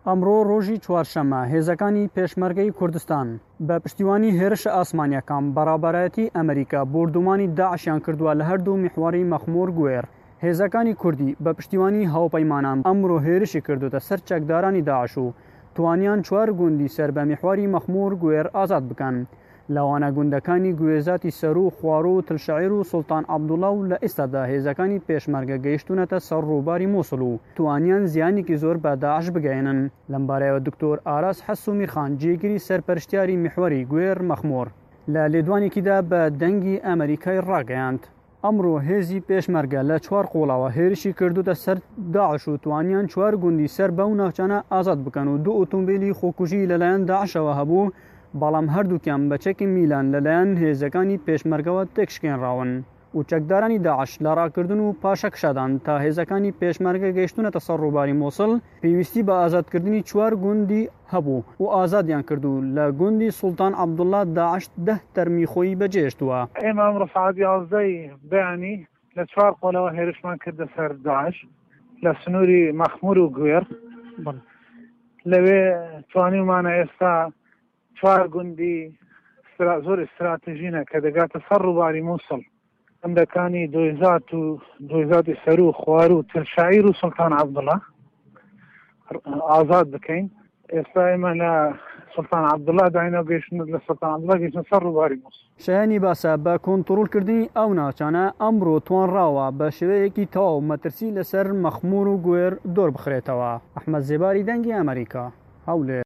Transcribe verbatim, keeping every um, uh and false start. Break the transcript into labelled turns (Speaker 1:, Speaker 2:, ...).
Speaker 1: ئەمڕۆ ڕۆژی چوارشەممە هێزەکانی پێشمەرگەی کوردستان بە پشتیوانی هێرشە ئاسمانیەکان بە ڕابەرایەتی ئەمریکا بۆردومانی داعشیان کردووە لە هەردوو میحوەری مەخمور گوێر. هێزەکانی کوردی بە پشتیوانی هاوپەیمانان ئەمڕۆ هێرشی کردوتە سەر چەکدارانی داعش و توانیان چوار گوندی سەر بە میحوەری مەخمور گوێر ئازاد بکەن، لەوانە گوندەکانی گوێزاتی سەرو، خواڕو، تلشعیر و سوڵتان عەبدوڵا و لە ئێستادا هێزەکانی پێشمەرگە گەیشتوونەتە سەر ڕووباری موسڵ و توانیان زیانێکی زۆر بە داعش بگەیەنن. لەمبارەیەوە دکتۆر ئاراس حەسو میرخان جێگری سەرپەرشتیاری میحوەری گوێر مەخمور لە لێدوانێکیدا بە دەنگی ئەمەریکای ڕاگەیاند، ئەمڕۆ هێزی پێشمەرگە لە چوار قۆڵەوە هێرشی کردوتە سەر داعش و توانیان چوار گوندی سەر بەو ناوچانە ئازاد بکەن و دوو ئۆتۆمبیلی خۆکوژی لەلایەن داعشەوە هەبوو، بەڵام هەردووکیان بە چەکی میلان لەلایەن هێزەکانی پێشمەرگەوە تێکشکێنراون و چەکدارانی داعش لە ڕاکردن و پاشەکشادان تا هێزەکانی پێشمەرگە گەیشتونەتە سەر ڕووباری موسڵ پێویستی بە ئازادکردنی چوار گوندی هەبوو و ئازادیان کرد و لە گوندی سوڵتان عەبدوڵا داعش دە تەرمی خۆی بەجێهێشتووە.
Speaker 2: ئێمە ئەمڕۆ سەعات یازدەی بەیانی لە چوار قۆڵەوە هێرشمان کردە سەر داعش لە سنووری مەخمور و گوێڕ. لەوێ توانیومانە ئێستا چوار گوندی زۆر ئیستراتژینە کە دەگاتە سەر ڕووباری موسڵ، گوندەکانی دۆیزات و دۆیزاتی سەرو، خوارو، تلشعیر و سوڵتان عەبدوڵا ئازاد بکەین. ئێستا ئێمە لە سوڵتان عەبدوڵا داینەوە گەیشتن لە سوڵتان عەبدوڵا گەیشتن سەر ڕووباری موسڵ.
Speaker 1: شایانی باسە بە کۆنتڕۆڵکردنی ئەو ناوچانە ئەمڕۆ توانراوە بە شێوەیەکی تەواو مەترسی لەسەر مەخمور و گوێر دوور بخرێتەوە. ئەحمەد زێباری، دەنگی ئەمەریکا، هەولێر.